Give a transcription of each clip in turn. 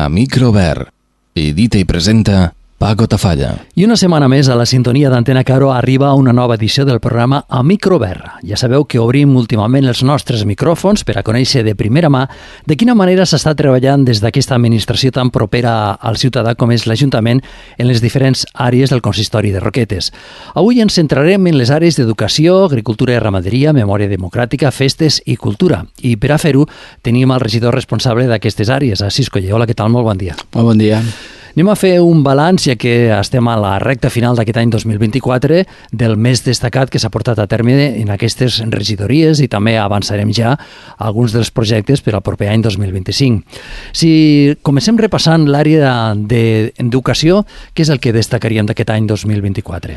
a micro obert. Edita i presenta Paco Tafalla. I una setmana més a la sintonia d'Antena Caro arriba una nova edició del programa A Micro Obert. Ja sabeu que obrim últimament els nostres micròfons per a conèixer de primera mà de quina manera s'està treballant des d'aquesta administració tan propera al ciutadà com és l'Ajuntament en les diferents àrees del consistori de Roquetes. Avui ens centrarem en les àrees d'educació, agricultura i ramaderia, memòria democràtica, festes i cultura. I per a fer-ho tenim el regidor responsable d'aquestes àrees, Assis Coller. Hola, què tal? Molt bon dia. Molt bon dia. Anem a fer un balanç, ja que estem a la recta final d'aquest any 2024, del més destacat que s'ha portat a terme en aquestes regidories i també avançarem ja alguns dels projectes per al proper any 2025. Si comencem repassant l'àrea d'educació, què és el que destacaríem d'aquest any 2024?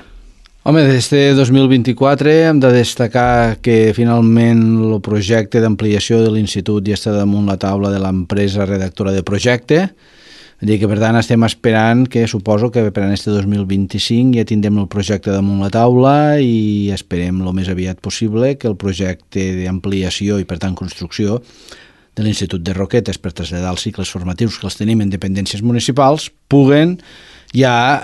Home, d'este 2024 hem de destacar que finalment el projecte d'ampliació de l'institut ja està damunt la taula de l'empresa redactora de projecte. Vull dir que, per tant, estem esperant que suposo que per a este 2025 ja tindrem el projecte damunt la taula i esperem el més aviat possible que el projecte d'ampliació i, per tant, construcció de l'Institut de Roquetes per traslladar els cicles formatius que els tenim en dependències municipals puguen ja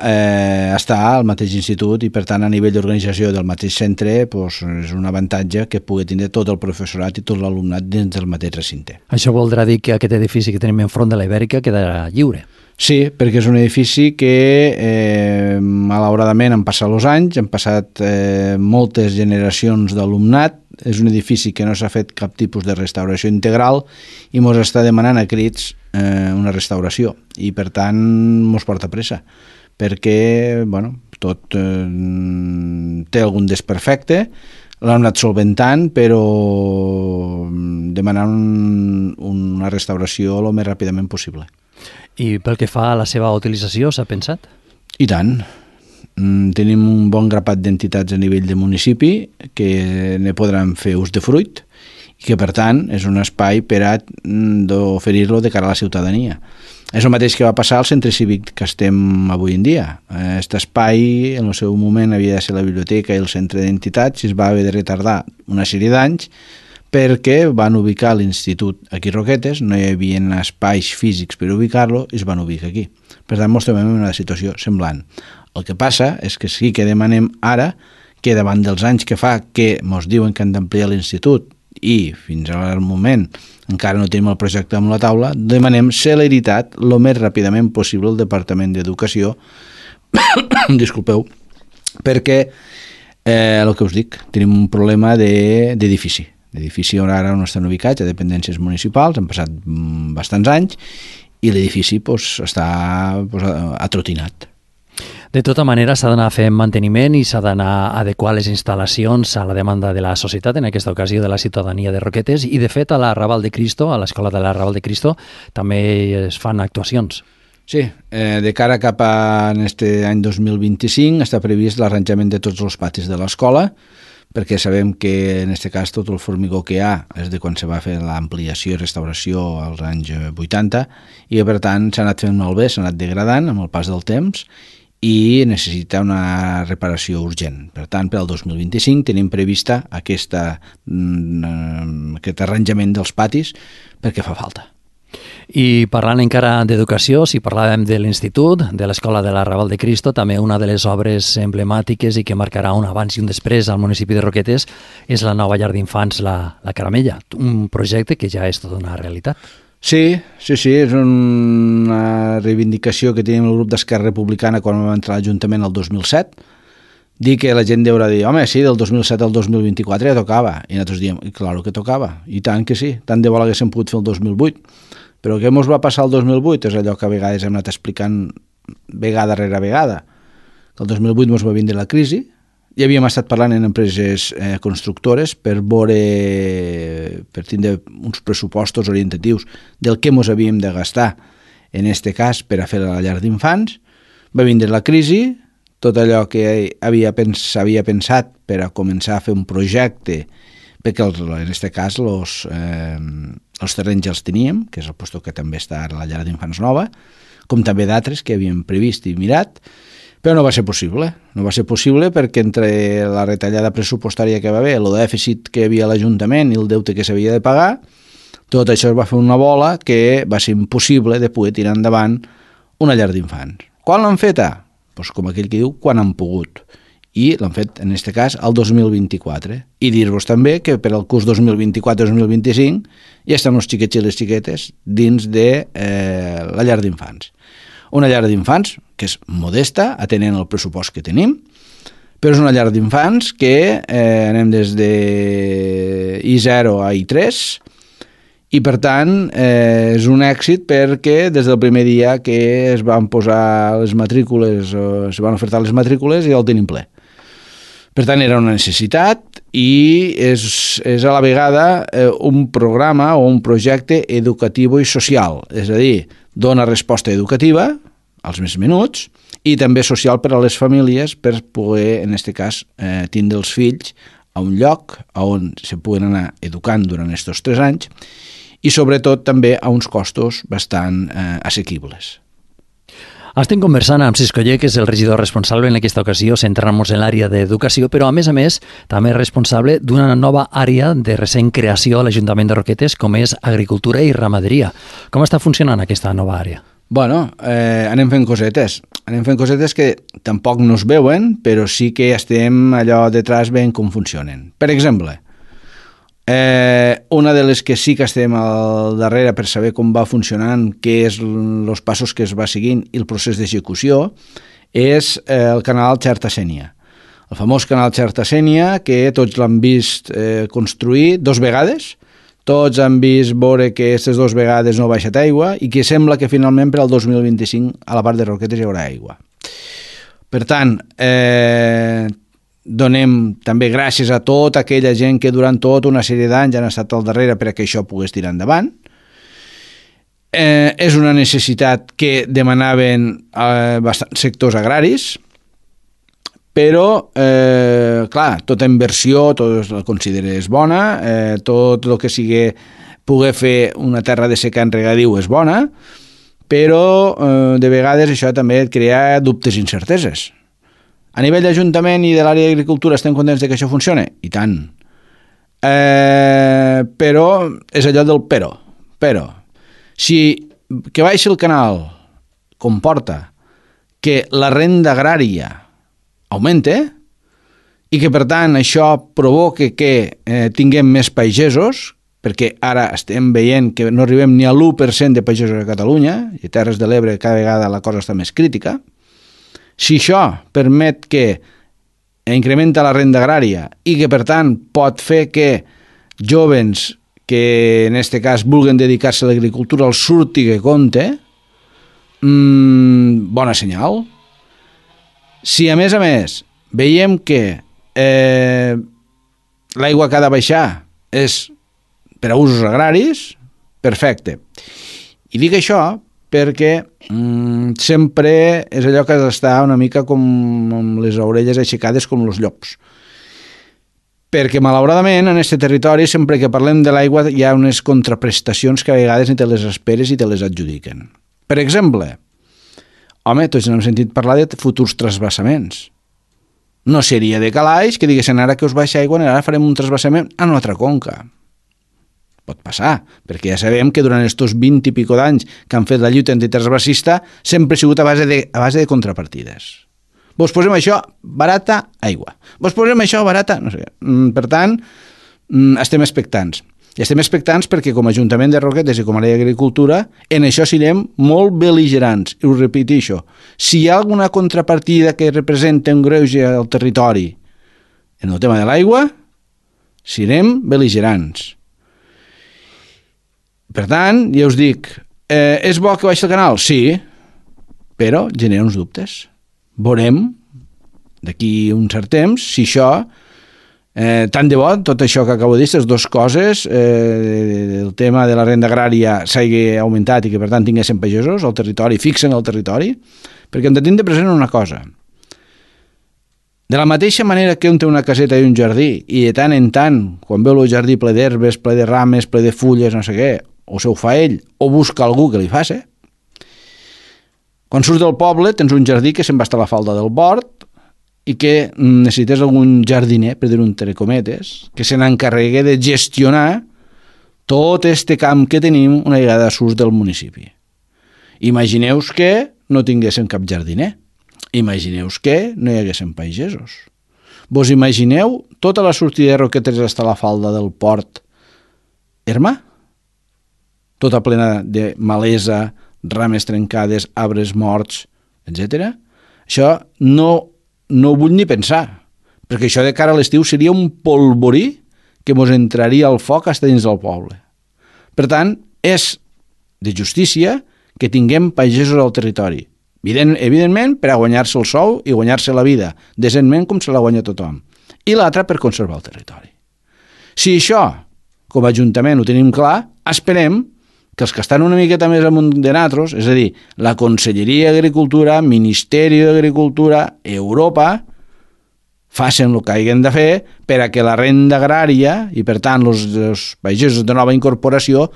estar al mateix institut i, per tant, a nivell d'organització del mateix centre és un avantatge que pugui tindre tot el professorat i tot l'alumnat dins del mateix recinte. Això voldrà dir que aquest edifici que tenim enfront de la Ibèrica quedarà lliure? Sí, perquè és un edifici que malauradament han passat els anys, han passat moltes generacions d'alumnat, és un edifici que no s'ha fet cap tipus de restauració integral i ens està demanant a crits una restauració i per tant ens porta pressa perquè tot té algun desperfecte, l'han anat solventant però demanant una restauració el més ràpidament possible. I pel que fa a la seva utilització, s'ha pensat? I tant. Tenim un bon grapat d'entitats a nivell de municipi que ne podran fer ús de fruit i que, per tant, és un espai per a d'oferir-lo de cara a la ciutadania. És el mateix que va passar al centre cívic que estem avui en dia. Aquest espai, en el seu moment, havia de ser la biblioteca i el centre d'entitats i es va haver de retardar una sèrie d'anys perquè van ubicar l'institut aquí a Roquetes, no hi havia espais físics per ubicar-lo i es van ubicar aquí. Per tant, ens trobem en una situació semblant. El que passa és que sí que demanem ara que davant dels anys que fa que ens diuen que han d'ampliar l'institut i fins al moment encara no tenim el projecte amb la taula, demanem celeritat el més ràpidament possible al Departament d'Educació disculpeu, perquè el que us dic, tenim un problema d'edifici. L'edifici ara on estan ubicats, a dependències municipals, han passat bastants anys i l'edifici està atrotinat. De tota manera, s'ha d'anar fent manteniment i s'ha d'anar a adequar les instal·lacions a la demanda de la societat, en aquesta ocasió de la ciutadania de Roquetes, i de fet a l'Arrabal de Cristo, a l'escola de l'Arrabal de Cristo, també es fan actuacions. Sí, de cara cap a aquest any 2025 està previst l'arranjament de tots els patis de l'escola, perquè sabem que en aquest cas tot el formigó que hi ha és de quan se va fer l'ampliació i restauració als anys 80 i per tant s'ha anat fent malbé, s'ha anat degradant amb el pas del temps i necessita una reparació urgent. Per tant, per al 2025 tenim prevista aquest arranjament dels patis perquè fa falta. I parlant encara d'educació, si parlàvem de l'Institut, de l'Escola de l'Arrabal de Cristo, també una de les obres emblemàtiques i que marcarà un abans i un després al municipi de Roquetes és la nova llar d'infants, la Caramella, un projecte que ja és tota una realitat. Sí, és una reivindicació que tenim el grup d'Esquerra Republicana quan vam entrar a l'Ajuntament el 2007. Dir que la gent deurà dir, home, sí, del 2007 al 2024 ja tocava. I nosaltres diem, claro que tocava, i tant que sí, tant de bo l'haguéssim pogut fer el 2008. Però què ens va passar el 2008? És allò que a vegades hem anat explicant vegada rere vegada. El 2008 ens va vindre la crisi, i havíem estat parlant en empreses constructores per tindre uns pressupostos orientatius del que ens havíem de gastar, en aquest cas per a fer la llar d'infants. Va vindre la crisi, tot allò que s'havia pensat per a començar a fer un projecte, perquè en aquest cas els terrenys ja els teníem, que és el lloc que també està a la llar d'infants nova, com també d'altres que havíem previst i mirat, però no va ser possible. No va ser possible perquè entre la retallada pressupostària que va haver, el dèficit que hi havia a l'Ajuntament i el deute que s'havia de pagar, Tot això es va fer una bola que va ser impossible de poder tirar endavant una llar d'infants. Quan l'han feta? Pues com aquell que diu, quan han pogut. I l'han fet, en aquest cas, el 2024. I dir-vos també que per al curs 2024-2025 ja estan els xiquets i les xiquetes dins de la llar d'infants. Una llar d'infants que és modesta, atenent el pressupost que tenim, però és una llar d'infants que anem des de I0 a I3, i per tant és un èxit perquè des del primer dia que es van posar les matrícules o es van ofertar les matrícules ja el tenim ple. Per tant era una necessitat i és a la vegada un programa o un projecte educatiu i social, és a dir, dona resposta educativa als més menuts i també social per a les famílies per poder, en aquest cas, tindre els fills a un lloc on se puguen anar educant durant aquests 3 anys i sobretot també a uns costos bastant assequibles. Estem conversant amb Cisco Oller, que és el regidor responsable en aquesta ocasió, centrant-nos en l'àrea d'educació, però a més també és responsable d'una nova àrea de recent creació a l'Ajuntament de Roquetes, com és agricultura i ramaderia. Com està funcionant aquesta nova àrea? Bueno, anem fent cosetes que tampoc no es veuen, però sí que estem allò detrás veient com funcionen. Per exemple, una de les que sí que estem al darrere per saber com va funcionant, què és els passos que es va seguint i el procés d'execució, és el canal Xerta-Sénia. El famós canal Xerta-Sénia, que tots l'han vist construir 2 vegades, tots han vist veure que aquestes 2 vegades no ha baixat aigua i que sembla que finalment per al 2025 a la part de Roquetes hi haurà aigua. Per tant, donem també gràcies a tota aquella gent que durant tota una sèrie d'anys han estat al darrere perquè això pogués tirar endavant. És una necessitat que demanaven bastants sectors agraris, però, clar, tota inversió, tot la consideres bona, tot el que sigui poder fer una terra de secà en regadiu és bona, però de vegades això també et crea dubtes i incerteses. A nivell d'Ajuntament i de l'àrea d'agricultura estem contents de que això funcione? I tant. Però és allò del però. Però, si que baixi el canal comporta que la renda agrària augmente i que, per tant, això provoque que tinguem més pagesos, perquè ara estem veient que no arribem ni a l'1% de pagesos a Catalunya, i a Terres de l'Ebre cada vegada la cosa està més crítica. Si això permet que incrementa la renda agrària i que, per tant, pot fer que jóvens que, en aquest cas, vulguen dedicar-se a l'agricultura els surti que compte, bona senyal. Si, a més, veiem que l'aigua que ha de baixar és per a usos agraris, perfecte. I dic això perquè sempre és allò que està una mica com amb les orelles aixecades com els llops. Perquè, malauradament, en aquest territori, sempre que parlem de l'aigua, hi ha unes contraprestacions que a vegades ni te les esperes i te les adjudiquen. Per exemple, tots hem sentit parlar de futurs trasbassaments. No seria de calaix que diguessin ara que us baixa aigua, ara farem un trasbassament a una altra conca. Pot passar, perquè ja sabem que durant aquests 20 i pico d'anys que han fet la lluita antitransvasista sempre ha sigut a base de contrapartides. Vos posem això, barata, aigua. Vos posem això, barata, no sé. Per tant, estem expectants. I estem expectants perquè com a Ajuntament de Roquetes i com a l'àrea d'agricultura, en això serem molt bel·ligerants. I ho repeteixo, si hi ha alguna contrapartida que representa un greuge al territori en el tema de l'aigua, serem bel·ligerants. Per tant, ja us dic, és bo que baixi el canal? Sí, però genera uns dubtes. Veurem d'aquí un cert temps si això, tant de bo, tot això que acabo de dir, aquestes 2 coses, el tema de la renda agrària s'hagi augmentat i que per tant tinguessin pagesos al territori, fixen el territori, perquè hem de tindre present una cosa. De la mateixa manera que un té una caseta i un jardí i de tant en tant, quan veu el jardí ple d'herbes, ple de rames, ple de fulles, no sé què, o se ho fa ell, o busca algú que li faci. Quan surts del poble tens un jardí que se'n va estar a la falda del bord i que necessites algun jardiner, per dir-ho entre cometes, que se n'encarregui de gestionar tot este camp que tenim una vegada surt del municipi. Imagineu que no tinguéssim cap jardiner. Imagineu que no hi haguessin pagesos. Vos imagineu tota la sortida de Roquetes hasta la falda del port erma? Tota plena de malesa, rames trencades, arbres morts, etc. Això no ho vull ni pensar, perquè això de cara a l'estiu seria un polvorí que mos entraria al foc fins dins del poble. Per tant, és de justícia que tinguem pagesos al territori. Evidentment, per a guanyar-se el sou i guanyar-se la vida, decentment com se la guanya tothom. I l'altra per conservar el territori. Si això, com a Ajuntament, ho tenim clar, esperem que els que estan una miqueta més amunt de nosaltres, és a dir, la Conselleria d'Agricultura, Ministeri d'Agricultura, Europa, facin el que hagin de fer per a que la renda agrària i, per tant, els pagesos de nova incorporació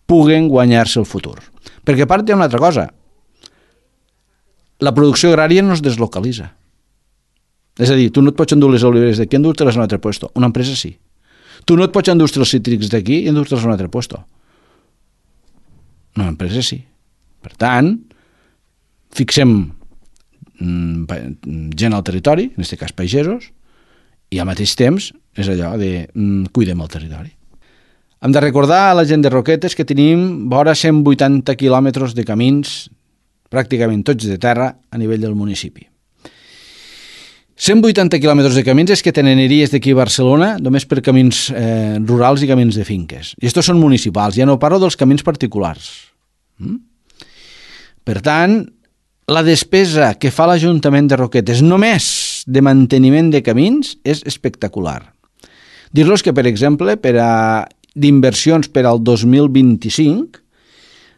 puguen guanyar-se el futur. Perquè a part hi ha una altra cosa. La producció agrària no es deslocalitza. És a dir, tu no et pots endur les oliveres d'aquí i endur-te-les a un altre puesto. Una empresa sí. Tu no et pots endur els cítrics d'aquí i endur-te-les a un altre puesto. Una empresa sí. Per tant, fixem gent al territori, en aquest cas pagesos, i al mateix temps és allò de cuidem el territori. Hem de recordar a la gent de Roquetes que tenim vora 180 quilòmetres de camins, pràcticament tots de terra, a nivell del municipi. 180 quilòmetres de camins és que t'aniries d'aquí a Barcelona només per camins rurals i camins de finques. I estos són municipals, ja no parlo dels camins particulars. Per tant, la despesa que fa l'Ajuntament de Roquetes només de manteniment de camins és espectacular. Dir-los que, per exemple, d'inversions per al 2025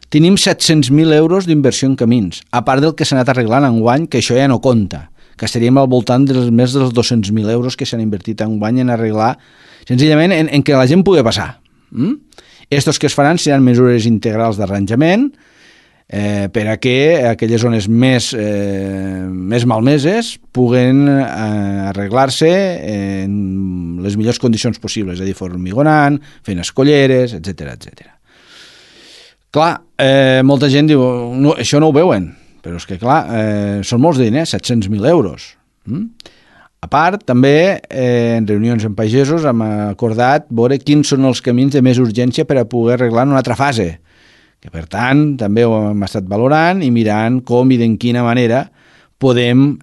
tenim 700.000 euros d'inversió en camins, a part del que s'ha anat arreglant enguany, que això ja no compta, que estaríem al voltant dels més dels 200.000 euros que s'han invertit enguany en arreglar, senzillament en que la gent pugui passar. Estos que es faran seran mesures integrals d'arranjament, per a que aquelles zones més malmeses puguen arreglar-se en les millors condicions possibles, és a dir, formigonant, fent escolleres, etc. Clar, molta gent diu, no, això no ho veuen, però és que clar, són molts diners, 700.000 euros. A part, també, en reunions amb pagesos hem acordat veure quins són els camins de més urgència per a poder arreglar en una altra fase, que per tant també ho hem estat valorant i mirant com i d'en quina manera podem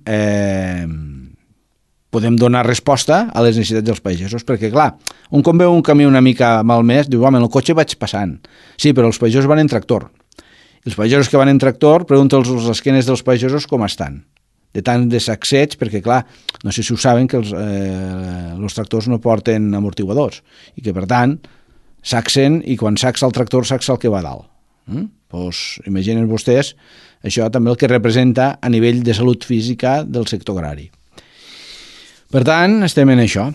donar resposta a les necessitats dels pagesos, perquè clar, un com veu un camí una mica malmès, diu, home, en el cotxe vaig passant. Sí, però els pagesos van en tractor. I els pagesos que van en tractor, pregunta'ls als esquenes dels pagesos com estan. De tant de sacseig, perquè clar, no sé si ho saben que els tractors no porten amortiguadors i que per tant saxen i quan saxa el tractor saxa el que va a dalt. Pues, imaginen vostès això també el que representa a nivell de salut física del sector agrari. Per tant, estem en això.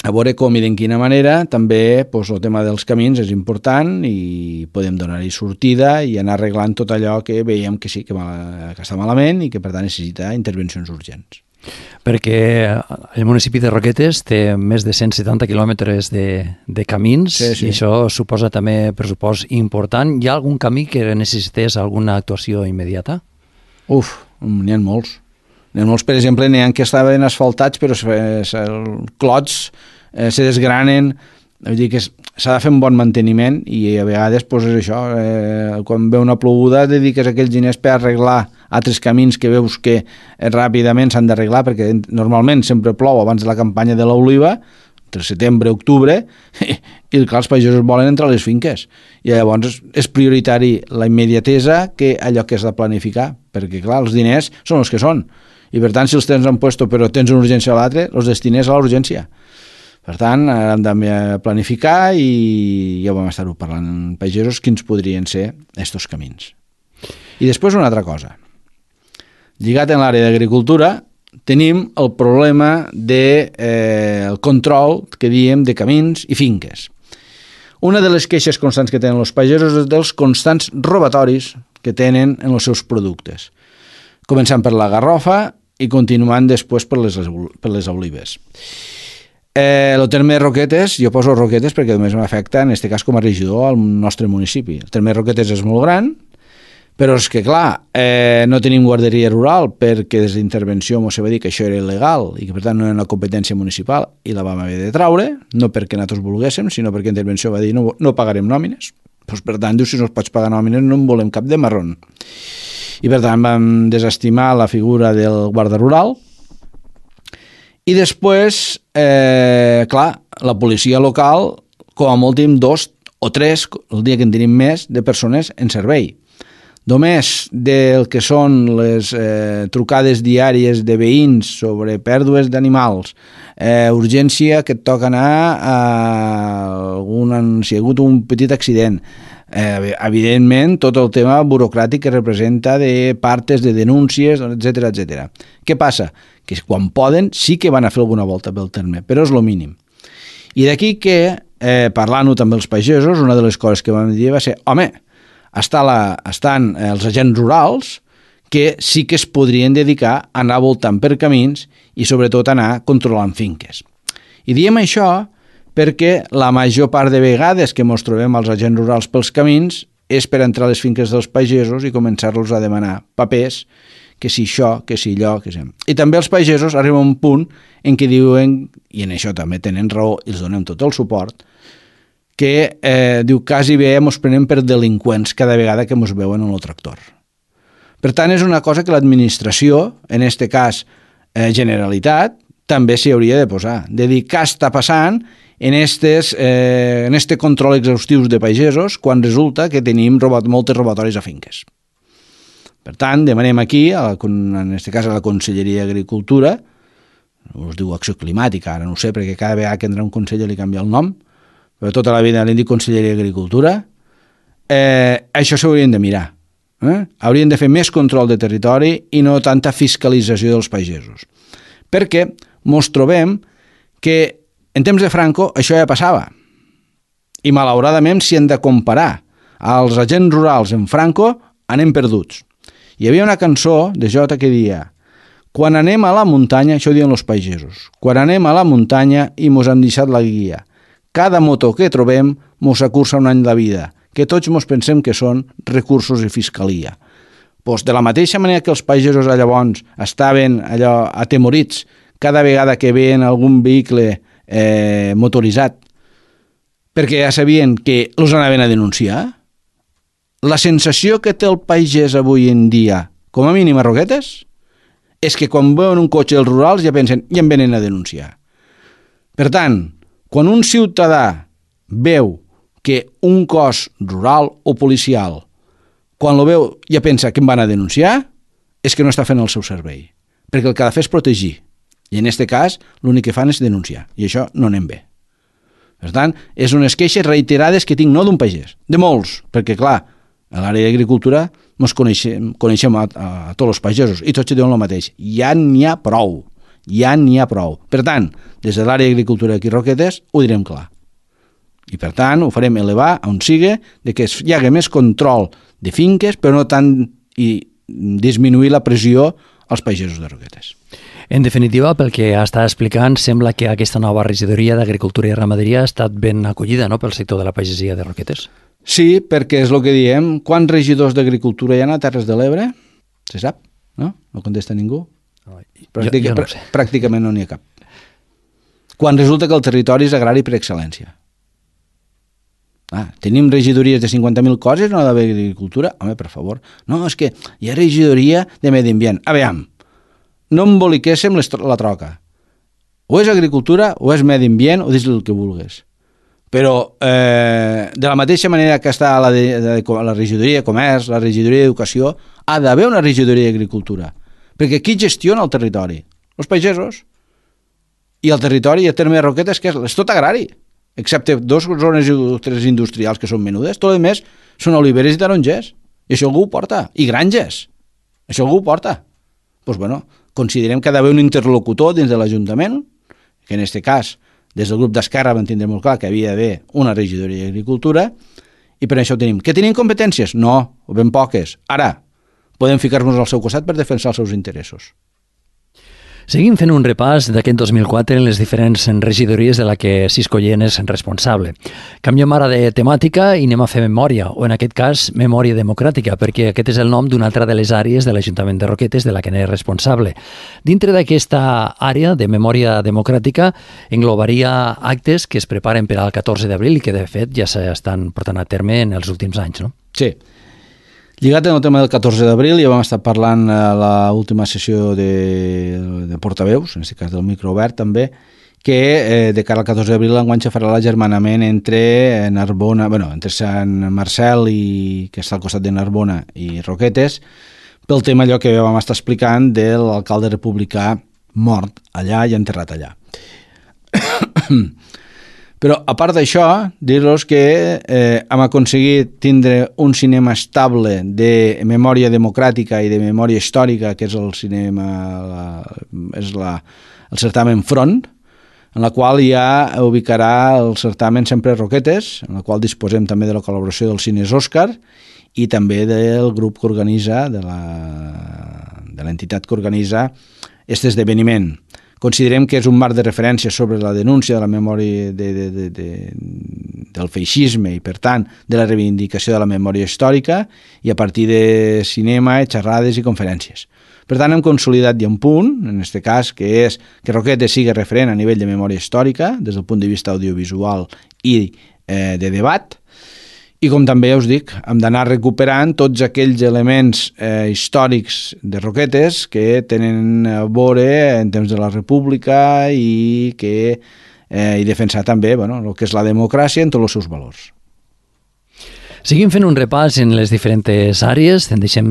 A veure com i d'en quina manera també pues, el tema dels camins és important i podem donar-hi sortida i anar arreglant tot allò que veiem que sí, que està malament i que per tant necessita intervencions urgents. Perquè el municipi de Roquetes té més de 170 quilòmetres de camins, sí. I això suposa també pressupost important. Hi ha algun camí que necessités alguna actuació immediata? N'hi ha molts. N'hi ha molts, per exemple, n'hi ha que estaven asfaltats però els clots se desgranen. Vull dir que s'ha de fer un bon manteniment i a vegades pues, és això, quan ve una ploguda dediques aquells diners per arreglar altres camins que veus que ràpidament s'han d'arreglar perquè normalment sempre plou abans de la campanya de l'oliva, entre setembre i octubre, i clar, els pagesos volen entrar a les finques. I llavors és prioritari la immediatesa que allò que has de planificar, perquè clar, els diners són els que són. I per tant, si els tens en puesto però tens una urgència a l'altre, els destines a la urgència. Per tant, hem de planificar i ja vam estar-ho parlant amb pagesos quins podrien ser estos camins. I després una altra cosa. Lligat en l'àrea d'agricultura, tenim el problema del control que diem de camins i finques. Una de les queixes constants que tenen els pagesos és dels constants robatoris que tenen en els seus productes. Començant per la garrofa i continuant després per les olives. El terme de Roquetes, jo poso Roquetes perquè només m'afecta, en aquest cas com a regidor, al nostre municipi. El terme de Roquetes és molt gran, però és que, clar, no tenim guarderia rural perquè des d'intervenció ens va dir que això era il·legal i que, per tant, no era una competència municipal i la vam haver de traure, no perquè nosaltres volguéssim, sinó perquè intervenció va dir no pagarem nòmines. Pues, per tant, diu, si no es pots pagar nòmines no en volem cap de marrón. I, per tant, vam desestimar la figura del guarda rural. I després, clar, la policia local, com a molt tenim 2 o 3, el dia que en tenim més, de persones en servei. Només del que són les trucades diàries de veïns sobre pèrdues d'animals, urgència que et toca anar si hi ha hagut un petit accident, evidentment tot el tema burocràtic que representa de partes, de denúncies, etc etc. Què passa? Que quan poden sí que van a fer alguna volta pel terme, però és el mínim. I d'aquí que, parlant-ho també els pagesos, una de les coses que vam dir va ser, home, estan els agents rurals que sí que es podrien dedicar a anar voltant per camins i sobretot anar controlant finques. I diem això perquè la major part de vegades que ens trobem als agents rurals pels camins és per entrar a les finques dels pagesos i començar-los a demanar papers, que si això, que si allò, que si... I també els pagesos arriben a un punt en què diuen, i en això també tenen raó i els donem tot el suport, que diu quasi bé ens prenem per delinqüents cada vegada que ens veuen en el tractor. Per tant, és una cosa que l'administració, en aquest cas Generalitat, també s'hi hauria de posar, de dir què està passant en este control exhaustius de pagesos quan resulta que tenim moltes robatoris a finques. Per tant, demanem aquí, en aquest cas a la Conselleria d'Agricultura, us diu Acció Climàtica, ara no ho sé, perquè cada vegada que entra un conseller li canvia el nom, però tota la vida l'hem dit Conselleria d'Agricultura, això s'haurien de mirar. Haurien de fer més control de territori i no tanta fiscalització dels pagesos. Perquè ens trobem que en temps de Franco això ja passava. I malauradament, si hem de comparar els agents rurals en Franco, anem perduts. Hi havia una cançó de Jota que deia: quan anem a la muntanya, això ho diuen els pagesos, quan anem a la muntanya i mos han deixat la guia, cada moto que trobem mos acursa un any de vida, que tots mos pensem que són recursos i fiscalia. Pues de la mateixa manera que els pagesos llavors estaven allò atemorits cada vegada que veien algun vehicle motoritzat, perquè ja sabien que els anaven a denunciar, la sensació que té el pagès avui en dia, com a mínim a Roquetes, és que quan veuen un cotxe dels rurals ja pensen, ja em venen a denunciar. Per tant, quan un ciutadà veu que un cos rural o policial, quan lo veu ja pensa que em van a denunciar, és que no està fent el seu servei. Perquè el que ha de fer és protegir. I en aquest cas, l'únic que fan és denunciar. I això no anem bé. Per tant, és unes queixes reiterades que tinc no d'un pagès, de molts, perquè clar, a l'àrea d'agricultura ens coneixem a tots els pagesos i tots diuen el mateix. Ja n'hi ha prou. Ja n'hi ha prou. Per tant, des de l'àrea d'agricultura aquí a Roquetes ho direm clar. I per tant ho farem elevar on sigui de que hi hagi més control de finques, però no tant i disminuir la pressió als pagesos de Roquetes. En definitiva, pel que està explicant, sembla que aquesta nova regidoria d'Agricultura i Ramaderia ha estat ben acollida, no?, pel sector de la pagesia de Roquetes. Sí, perquè és el que diem. Quants regidors d'Agricultura hi ha a Terres de l'Ebre? Se sap? No? No contesta ningú? Jo no sé. Pràcticament no n'hi ha cap. Quan resulta que el territori és agrari per excel·lència. Tenim regidories de 50.000 coses, no ha d'haver agricultura? Home, per favor. No, és que hi ha regidoria de medi ambient. Aviam, no emboliquéssim la troca. O és agricultura, o és medi ambient, o dis el que vulguis. Però de la mateixa manera que està la regidoria de comerç, la regidoria d'educació, ha d'haver una regidoria d'agricultura. Perquè qui gestiona el territori? Els pagesos. I el territori, el terme de Roquetes, que és tot agrari, excepte 2 zones o 3 industrials que són menudes, tot el més són oliveres i tarongers. I això algú ho porta. I granges. Això algú ho porta. Doncs bueno, considerem que ha d'haver un interlocutor dins de l'Ajuntament, que en aquest cas, des del grup d'Esquerra vam tindre molt clar que havia d'haver una regidoria d'Agricultura, i per això ho tenim. Que tenim competències? No, o ben poques. Ara, podem ficar-nos al seu costat per defensar els seus interessos. Seguim fent un repàs d'aquest 2004 en les diferents regidories de la que Cisco Lleen és responsable. Canviem ara de temàtica i anem a fer memòria, o en aquest cas, memòria democràtica, perquè aquest és el nom d'una altra de les àrees de l'Ajuntament de Roquetes de la que n'és responsable. Dintre d'aquesta àrea de memòria democràtica englobaria actes que es preparen per al 14 d'abril i que, de fet, ja s'estan portant a terme en els últims anys, no? Sí. Lligat en el tema del 14 d'abril, ja vam estar parlant a l'última sessió de portaveus, en aquest cas del micro obert també, que de cara al 14 d'abril enguany se farà l'agermanament entre Narbona, entre Sant Marcel, que està al costat de Narbona, i Roquetes, pel tema allò que vam estar explicant de l'alcalde republicà mort allà i enterrat allà. Però, a part d'això, dir-los que hem aconseguit tindre un cinema estable de memòria democràtica i de memòria històrica, que és el cinema, el certamen Front, en la qual ja ubicarà el certamen Sempre Roquetes, en la qual disposem també de la col·laboració dels cines Òscar i també del grup que organitza, de l'entitat que organitza aquest esdeveniment. Considerem que és un marc de referència sobre la denúncia de la memòria del feixisme i, per tant, de la reivindicació de la memòria històrica i a partir de cinema, xerrades i conferències. Per tant, hem consolidat ja un punt, en aquest cas, que és que Roquetes sigui referent a nivell de memòria històrica, des del punt de vista audiovisual i de debat, i com també us dic, hem d'anar recuperant tots aquells elements històrics de Roquetes que tenen a veure en temps de la República i defensar també el que és la democràcia en tots els seus valors. Seguim fent un repàs en les diferents àrees, en deixem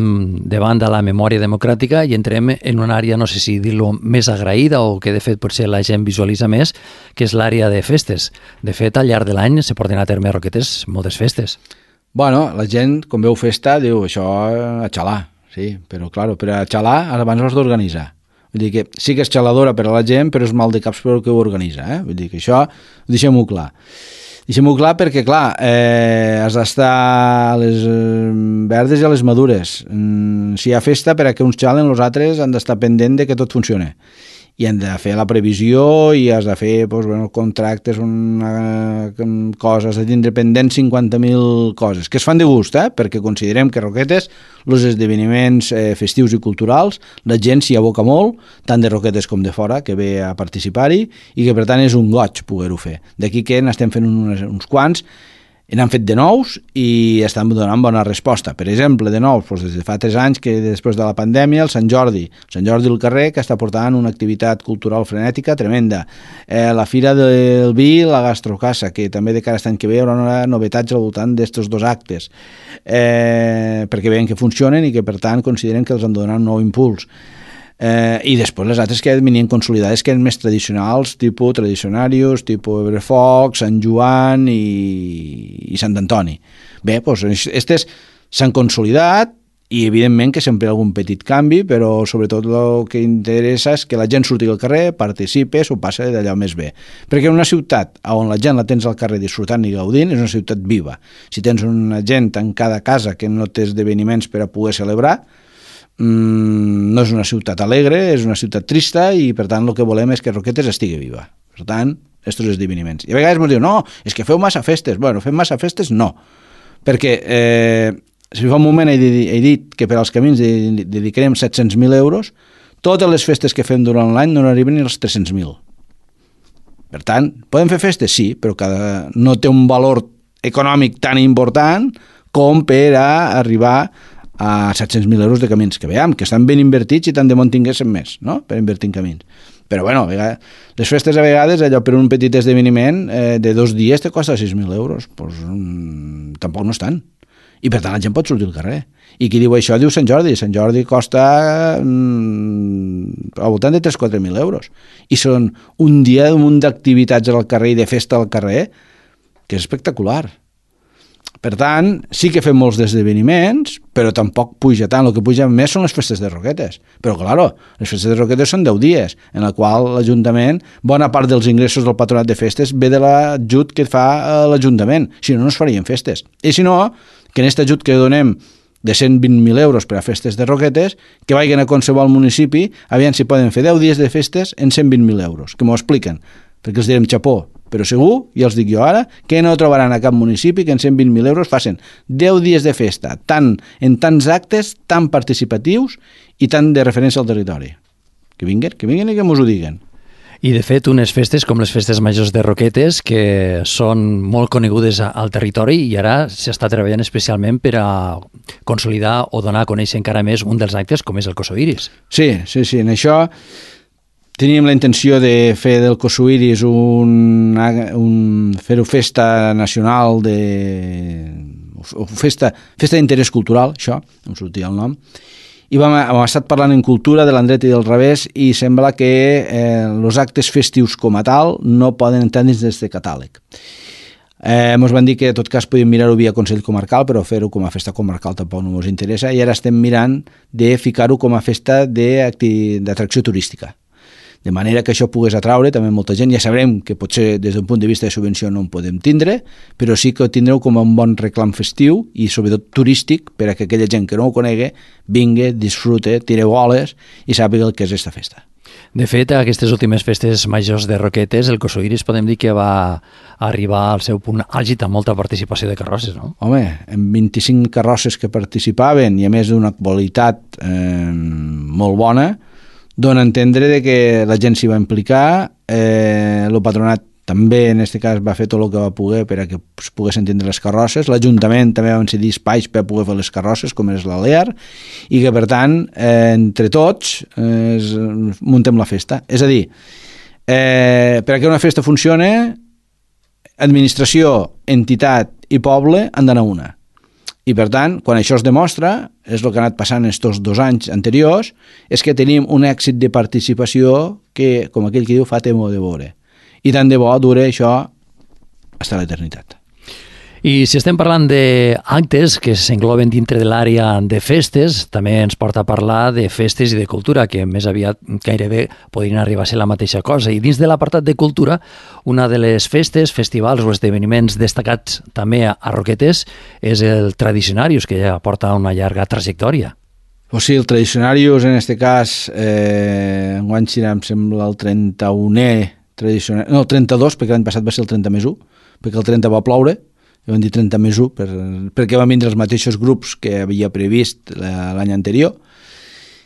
de banda la memòria democràtica i entrem en una àrea, no sé si dir-lo, més agraïda o que de fet potser la gent visualitza més, que és l'àrea de festes. De fet, al llarg de l'any se porten a terme a Roquetes moltes festes. Bueno, la gent, quan veu festa, diu això a xalar, sí, però clar, per a xalar abans ho has d'organitzar. Vull dir que sí que és xaladora per a la gent, però és mal de caps per al que ho organitza. Vull dir que això ho deixem-ho clar. Deixem-ho clar perquè, clar, has d'estar a les verdes i a les madures. Si hi ha festa, per a que uns xalen, els altres han d'estar pendent de que tot funcioni. I han de fer la previsió i has de fer contractes, coses, has de tindre pendents 50.000 coses, que es fan de gust, perquè considerem que Roquetes, els esdeveniments festius i culturals, la gent s'hi aboca molt, tant de Roquetes com de fora, que ve a participar-hi, i que per tant és un goig poder-ho fer. D'aquí que n'estem fent uns quants, n'han fet de nous i estan donant bona resposta. Per exemple, de nous, des de fa 3 anys, que després de la pandèmia, el Sant Jordi al carrer, que està portant una activitat cultural frenètica tremenda. La Fira del Vi, la Gastrocassa, que també de cara a l'any que ve hi haurà novetats al voltant d'estos 2 actes, perquè veuen que funcionen i que, per tant, consideren que els han donat un nou impuls. I després les altres que venien consolidades, que eren més tradicionals, tipus Tradicionarius, tipus Ebrefoc, Sant Joan i Sant Antoni. Bé, doncs aquestes s'han consolidat i evidentment que sempre hi ha algun petit canvi, però sobretot el que interessa és que la gent surti al carrer, participi, s'ho passa d'allò més bé. Perquè una ciutat on la gent la tens al carrer disfrutant i gaudint és una ciutat viva. Si tens una gent en cada casa que no té esdeveniments per a poder celebrar, no és una ciutat alegre, és una ciutat trista i per tant el que volem és que Roquetes estigui viva. Per tant, aquests esdeveniments. I a vegades ens diuen, no, és que feu massa festes. Bueno, fem massa festes? No. Perquè si fa un moment he dit que per als camins dedicarem 700.000 euros, totes les festes que fem durant l'any no arriben ni als 300.000. Per tant, podem fer festes? Sí, però no té un valor econòmic tan important com per a arribar a 700.000 euros de camins, que veiem, que estan ben invertits i tant de bon tinguéssim més, no?, per invertir en camins. Però, bueno, les festes a vegades, allò per un petit esdeveniment de 2 dies te costa 6.000 euros, doncs tampoc no és tant. I per tant la gent pot sortir al carrer. I qui diu això diu Sant Jordi. Sant Jordi costa al voltant de 3.000-4.000 euros. I són un dia d'un munt d'activitats al carrer i de festa al carrer que és espectacular. Per tant, sí que fem molts esdeveniments, però tampoc puja tant. El que puja més són les festes de Roquetes. Però, clar, les festes de Roquetes són 10 dies, en la qual l'Ajuntament, bona part dels ingressos del patronat de festes ve de l'ajut que fa l'Ajuntament. Si no, no es farien festes. I si no, que en aquest ajut que donem de 120.000 euros per a festes de Roquetes, que vagin a qualsevol municipi, aviam si poden fer 10 dies de festes en 120.000 euros, que m'ho expliquen, perquè els direm xapó, però segur, ja els dic jo ara, que no trobaran a cap municipi que en 120.000 euros facin 10 dies de festa, en tants actes, tan participatius i tant de referència al territori. Que vinguen i que mos ho diguen. I, de fet, unes festes com les festes majors de Roquetes, que són molt conegudes al territori i ara s'està treballant especialment per a consolidar o donar a conèixer encara més un dels actes com és el Kossoiris. Sí, en això teníem la intenció de fer del Kossoiris fer-ho festa nacional o festa d'interès cultural, això, em sortia el nom, i hem estat parlant en cultura de l'endret i del revés i sembla que els actes festius com a tal no poden entendre's des de catàleg. Ens van dir que en tot cas podíem mirar-ho via Consell Comarcal, però fer-ho com a festa comarcal tampoc no ens interessa i ara estem mirant de ficar-ho com a festa d'atracció turística. De manera que això pogués atraure també molta gent. Ja sabrem que potser des d'un punt de vista de subvenció no en podem tindre, però sí que tindreu com un bon reclam festiu i sobretot turístic per a que aquella gent que no ho conegui vingui, disfrute, tire boles i sàpiga el que és aquesta festa. De fet, a aquestes últimes festes majors de Roquetes, el Kossoiris podem dir que va arribar al seu punt àlgid amb molta participació de carrosses, no? Home, amb 25 carrosses que participaven i a més d'una qualitat molt bona, dona a entendre que la gent s'hi va implicar, el patronat també en aquest cas va fer tot el que va poder per a que es poguessin entendre les carrosses, l'Ajuntament també va cedir espais per poder fer les carrosses, com és l'Alear, i que per tant, entre tots, muntem la festa. És a dir, per a que una festa funcione, administració, entitat i poble han d'anar una. I, per tant, quan això es demostra, és el que ha anat passant estos 2 anys anteriors, és que tenim un èxit de participació que, com aquell que diu, fa temor de veure. I tant de bo dure això fins a l'eternitat. I si estem parlant d'actes que s'engloben dintre de l'àrea de festes, també ens porta a parlar de festes i de cultura, que més aviat gairebé podrien arribar a ser la mateixa cosa. I dins de l'apartat de cultura, una de les festes, festivals o esdeveniments destacats també a Roquetes és el Tradicionarius, que ja porta una llarga trajectòria. O sigui, el Tradicionarius, en aquest cas, enguany serà, em sembla, el 31è tradicional... No, el 32, perquè l'any passat va ser el 30+1, perquè el 30 va ploure, i van dir 30+1 perquè van vindre els mateixos grups que havia previst l'any anterior,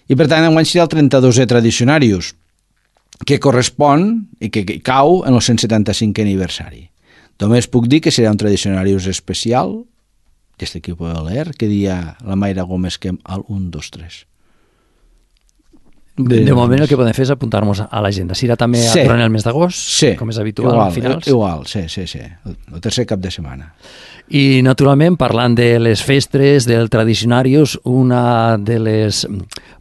i per tant enguany serà el 32è Tradicionarius, que correspon i que cau en el 175è aniversari. Només puc dir que serà un Tradicionarius especial d'aquest equip de l'ER, que dia la Mayra Gómez que al 1, 2, 3. De moment el que podem fer és apuntar-nos a l'agenda. Serà també durant el mes d'agost, com és habitual, igual, a finals? Igual, sí. El tercer cap de setmana. I, naturalment, parlant de les festes, del Tradicionarius, una de les,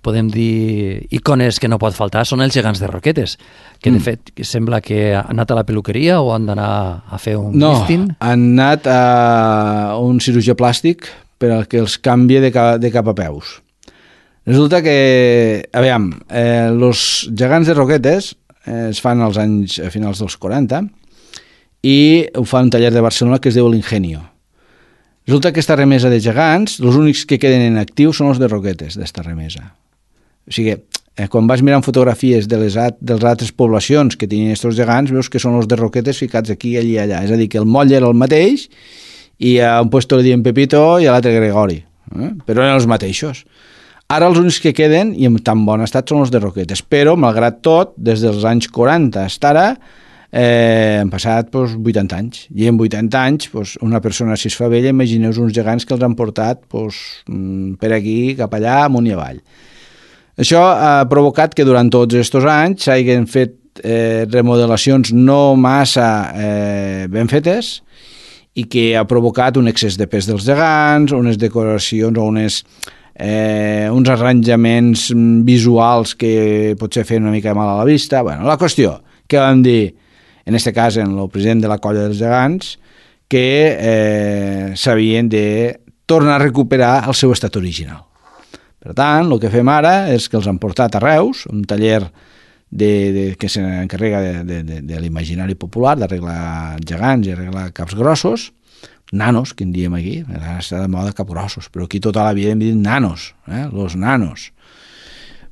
podem dir, icones que no pot faltar són els gegants de Roquetes, que de fet sembla que han anat a la peluqueria o han d'anar a fer un lifting? No, han anat a un cirurgià plàstic per al que els canvia de cap a peus. Resulta que, aviam, els gegants de Roquetes es fan als anys a finals dels 40 i ho fa un taller de Barcelona que es diu l'Ingenio. Resulta que aquesta remesa de gegants, els únics que queden en actiu són els de Roquetes, d'esta remesa. O sigui, quan vas mirant fotografies de les altres poblacions que tenien aquests gegants, veus que són els de Roquetes ficats aquí, allí i allà. És a dir, que el moll era el mateix i a un puesto li diuen Pepito i a l'altre Gregori, però eren els mateixos. Ara els únics que queden, i en tan bon estat, són els de Roquetes. Però, malgrat tot, des dels anys 40 fins ara, han passat 80 anys. I en 80 anys, una persona si es fa vella, imagineu uns gegants que els han portat per aquí, cap allà, amunt i avall. Això ha provocat que durant tots aquests anys s'hagin fet remodelacions no massa ben fetes i que ha provocat un excés de pes dels gegants, unes decoracions o uns arranjaments visuals que potser feien una mica mal a la vista. Bueno, la qüestió que vam dir, en aquest cas en el president de la colla dels gegants, que s'havien de tornar a recuperar el seu estat original. Per tant, el que fem ara és que els han portat a Reus, un taller que s'encarrega de l'imaginari popular, d'arreglar gegants i arreglar caps grossos, nanos, que en diem aquí, ara està de moda capgrossos, però aquí tota la vida hem dit nanos, los nanos.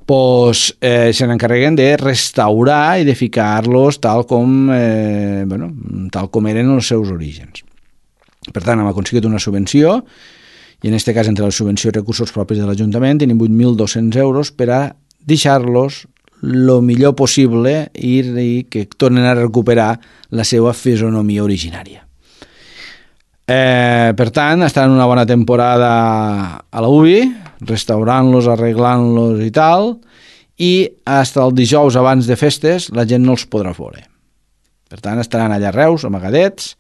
Pues se n'encarreguen de restaurar i de ficar-los tal com eren els seus orígens. Per tant, hem aconseguit una subvenció, i en aquest cas, entre la subvenció i recursos propis de l'Ajuntament, tenim 8.200 euros per a deixar-los el millor possible i que tornen a recuperar la seva fisonomia originària. Per tant, estan una bona temporada a la UBI, restaurant-los, arreglant-los i tal, i fins el dijous abans de festes la gent no els podrà veure. Per tant, estaran allà a Reus, amagadets,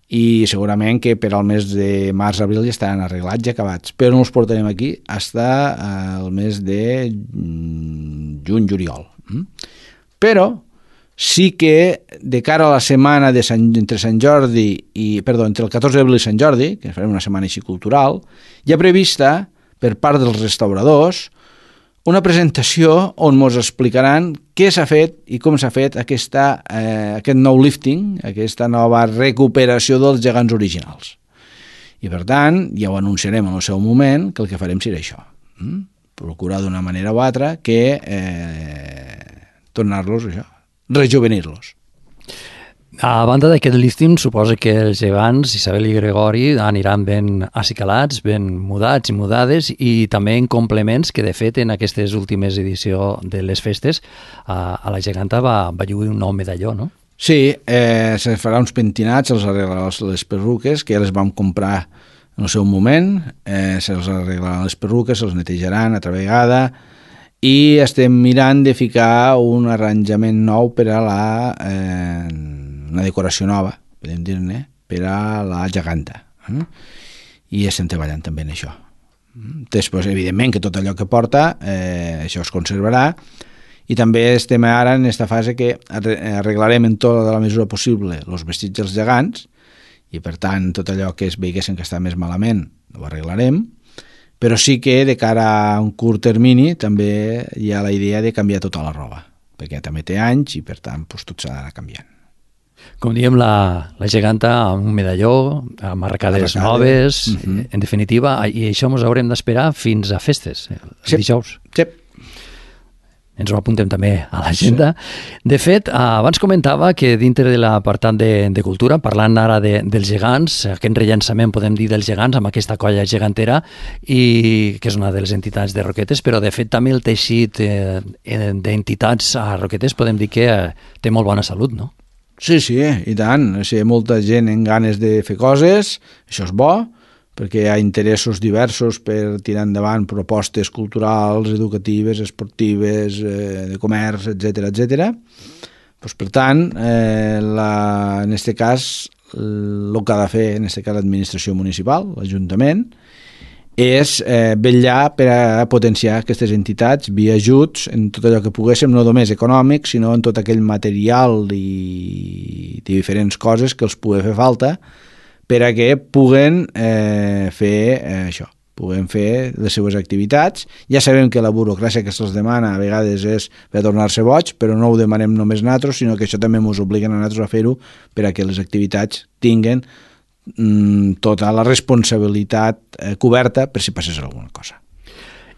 i segurament que per al mes de març-abril ja estaran arreglats i acabats, però no els portarem aquí fins al mes de juny-juliol. Però sí que de cara a la setmana entre el 14 d'abril i Sant Jordi, que farem una setmana així cultural, hi ha prevista per part dels restauradors una presentació on ens explicaran què s'ha fet i com s'ha fet aquest nou lifting, aquesta nova recuperació dels gegants originals. I per tant, ja ho anunciarem en el seu moment, que el que farem serà això. Procurar d'una manera o altra que tornar-los això, rejuvenir-los. A banda d'aquest lifting, suposa que els gegants, Isabel i Gregori, aniran ben acicalats, ben mudats i mudades, i també en complements que, de fet, en aquestes últimes edicions de les festes, a la geganta va lluir un nou medalló, no? Sí, se farà uns pentinats, se'ls arreglarà les perruques, que ja les vam comprar en el seu moment, se'ls arreglaran les perruques, se'ls netejaran altra vegada, i estem mirant de ficar un arranjament nou per a una decoració nova, podem dir-ne, per a la geganta. I estem treballant també en això. Després, evidentment, que tot allò que porta, això es conservarà, i també estem ara en aquesta fase que arreglarem en tota la mesura possible els vestits dels gegants, i per tant tot allò que es veiessin que està més malament ho arreglarem, però sí que de cara a un curt termini també hi ha la idea de canviar tota la roba, perquè també té anys i per tant tot s'ha d'anar canviant. Com diem, la geganta amb un medalló, amb arracades noves, en definitiva, i això ens haurem d'esperar fins a festes, el dijous. Sí. Ens ho apuntem també a l'agenda. De fet, abans comentava que dintre de l'apartat de cultura, parlant ara dels gegants, aquest rellançament, podem dir, dels gegants, amb aquesta colla gegantera, i que és una de les entitats de Roquetes, però de fet també el teixit d'entitats a Roquetes podem dir que té molt bona salut, no? Sí, i tant. Si hi ha molta gent en ganes de fer coses, això és bo, perquè hi ha interessos diversos per tirar endavant propostes culturals, educatives, esportives, de comerç, etc. Pues, per tant, en aquest cas, el que ha de fer, en aquest cas, l'administració municipal, l'Ajuntament, és vetllar per a potenciar aquestes entitats via ajuts en tot allò que poguéssim, no només econòmic, sinó en tot aquell material i diferents coses que els pugui fer falta per a que puguen fer això, puguen fer les seves activitats. Ja sabem que la burocràcia que se'ls demana a vegades és per tornar-se boig, però no ho demanem només nosaltres, sinó que això també ens obliguen a nosaltres a fer-ho per a que les activitats tinguin tota la responsabilitat coberta per si passés alguna cosa.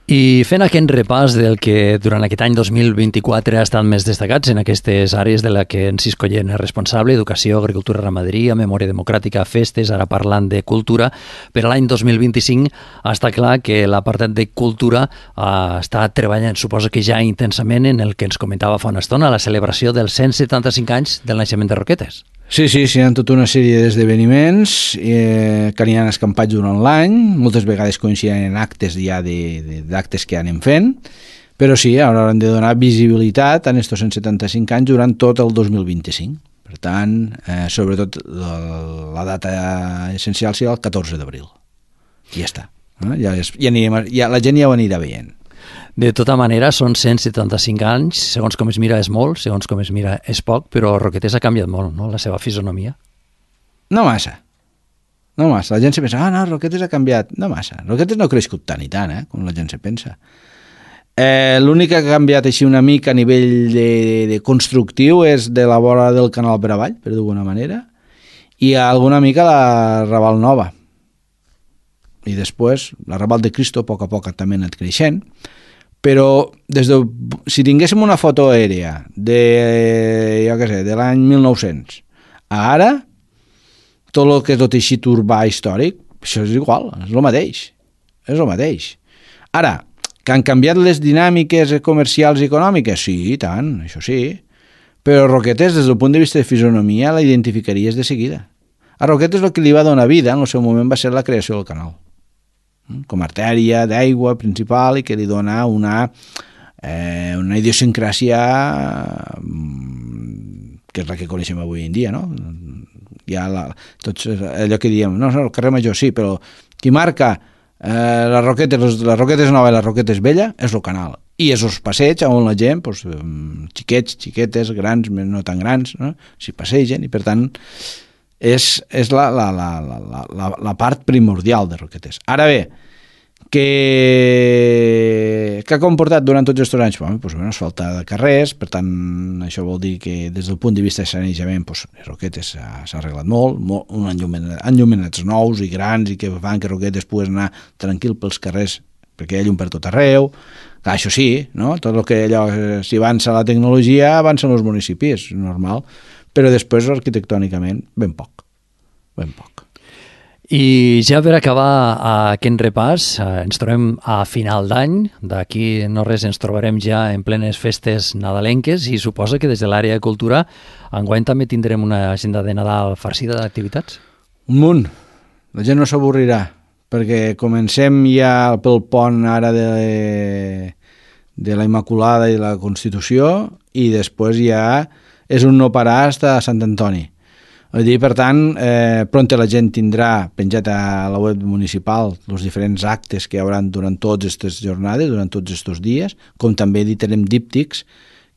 I fent aquest repàs del que durant aquest any 2024 ha estat més destacats en aquestes àrees de la que en Cisco Llena és responsable, educació, agricultura, ramaderia, memòria democràtica, festes, ara parlant de cultura, per a l'any 2025 està clar que l'apartat de cultura està treballant, suposo que ja intensament, en el que ens comentava fa una estona, la celebració dels 175 anys del naixement de Roquetes. Sí, hi ha tota una sèrie d'esdeveniments que aniran escampats durant l'any, moltes vegades coincidint en actes ja d'actes que anem fent, però sí, ara hem de donar visibilitat a aquests 175 anys durant tot el 2025. Per tant, sobretot la data essencial serà el 14 d'abril. I ja està. Ja la gent ja ho anirà veient. De tota manera, són 175 anys, segons com es mira és molt, segons com es mira és poc, però Roquetes ha canviat molt, no?, la seva fisonomia. No massa. La gent se pensa, no, Roquetes ha canviat. No massa. Roquetes no ha crescut tant i tant, com la gent se pensa. L'únic que ha canviat així una mica a nivell de constructiu és de la vora del canal per avall, per d'alguna manera, i alguna mica la Raval Nova. I després, la Raval de Cristo, a poc també ha anat creixent, però si tinguéssim una foto aèrea de l'any 1900 a ara, tot el que és el teixit urbà històric, això és igual, és el mateix. Ara, que han canviat les dinàmiques comercials i econòmiques? Sí, i tant, això sí. Però Roquetes, des del punt de vista de fisonomia, la identificaries de seguida. A Roquetes el que li va donar vida en el seu moment va ser la creació del canal, com a artèria d'aigua principal i que li dona una idiosincràsia que és la que coneixem avui en dia, no? Tots allò que diem, no, el carrer Major sí, però qui marca les Roquetes nova i les Roquetes vella és el canal, i és els passeigs on la gent, xiquets, xiquetes, grans, no tan grans, no? S'hi passegen, i per tant és la part primordial de Roquetes. Ara bé, què ha comportat durant tots aquests anys? Asfaltar de carrers, per tant, això vol dir que des del punt de vista de sanejament, Roquetes s'ha arreglat molt, enllumenats nous i grans, i que fan que Roquetes pugui anar tranquil pels carrers, perquè hi ha llum per tot arreu. Clar, això sí, no? Tot el que si avança la tecnologia, avancen els municipis, és normal, però després arquitectònicament ben poc. I ja per acabar aquest repàs, ens trobem a final d'any, d'aquí no res ens trobarem ja en plenes festes nadalenques, i suposa que des de l'àrea de cultura enguany també tindrem una agenda de Nadal farcida d'activitats? Un munt, la gent no s'avorrirà, perquè comencem ja pel pont ara de la Immaculada i la Constitució, i després ja és un no parar fins a Sant Antoni. Per tant, pront la gent tindrà penjat a la web municipal els diferents actes que hi haurà durant totes aquestes jornades, durant tots aquests dies, com també editarem díptics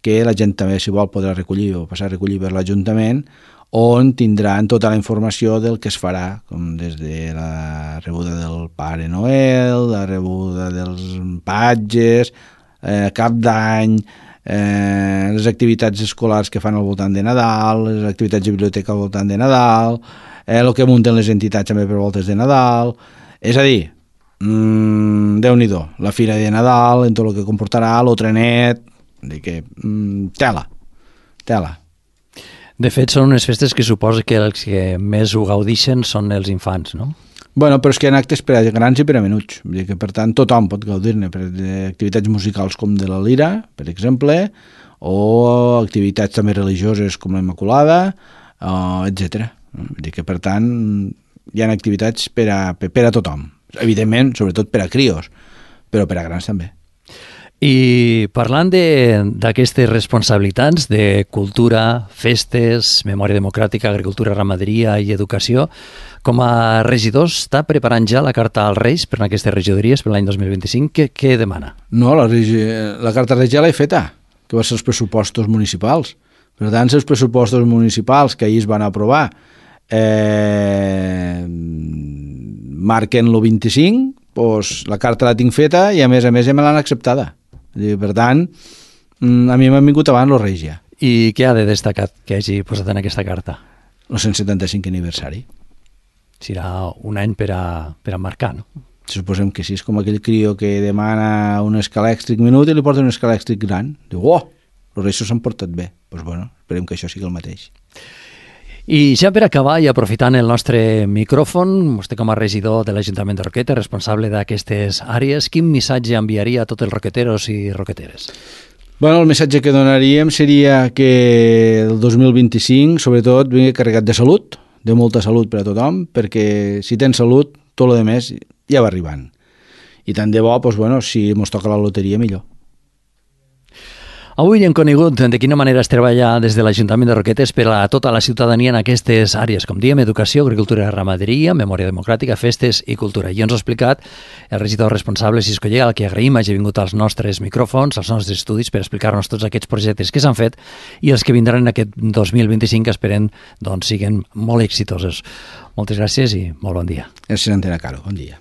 que la gent també, si vol, podrà recollir o passar a recollir per l'Ajuntament, on tindran tota la informació del que es farà, com des de la rebuda del Pare Noel, la rebuda dels patges, cap d'any, les activitats escolars que fan al voltant de Nadal, les activitats de biblioteca al voltant de Nadal, el que munten les entitats també per voltes de Nadal. És a dir, Déu-n'hi-do, la fira de Nadal, en tot el que comportarà, el trenet, tela. De fet, són unes festes que suposa que els que més ho gaudixen són els infants, no? Bueno, però és que hi ha actes per a grans i per a menuts. Vull dir que, per tant, tothom pot gaudir-ne, activitats musicals com de la Lira, per exemple, o activitats també religioses com la Immaculada, etc. Vull dir que, per tant, hi ha activitats per a tothom. Evidentment, sobretot per a crios, però per a grans també. I parlant d'aquestes responsabilitats de cultura, festes, memòria democràtica, agricultura, ramaderia i educació, com a regidor està preparant ja la carta als Reis per a aquestes regidories per l'any 2025? Què demana? No, la carta als Reis ja l'he feta, que va ser els pressupostos municipals. Per tant, els pressupostos municipals que ahir es van aprovar marquen el 25, doncs la carta la tinc feta i a més ja me l'han acceptada. Per tant, a mi m'han vingut abans els Reis ja. I què ha de destacar que hagi posat en aquesta carta? El 175 aniversari. Serà un any per a marcar, no? Suposem que sí, és com aquell crió que demana un escalèxtric minut i li porta un escalèxtric gran. Diu, els Reis s'han portat bé. Doncs bueno, esperem que això sigui el mateix. I ja per acabar, i aprofitant el nostre micròfon, vostè com a regidor de l'Ajuntament de Roquetes, responsable d'aquestes àrees, quin missatge enviaria a tots els roqueteros i roqueteres? Bueno, el missatge que donaríem seria que el 2025, sobretot, vingui carregat de salut, de molta salut per a tothom, perquè si tens salut, tot el més ja va arribant. I tant de bo, doncs, bueno, si ens toca la loteria, millor. Avui hem conegut de quina manera es treballa des de l'Ajuntament de Roquetes per a tota la ciutadania en aquestes àrees, com diem, educació, agricultura, ramaderia, memòria democràtica, festes i cultura. I ens ha explicat el regidor responsable Cisco Llega, al que agraïm hagi vingut als nostres micròfons, als nostres estudis, per explicar-nos tots aquests projectes que s'han fet i els que vindran en aquest 2025 que esperem siguin molt exitosos. Moltes gràcies i molt bon dia. Gràcies, Antena Caro. Bon dia.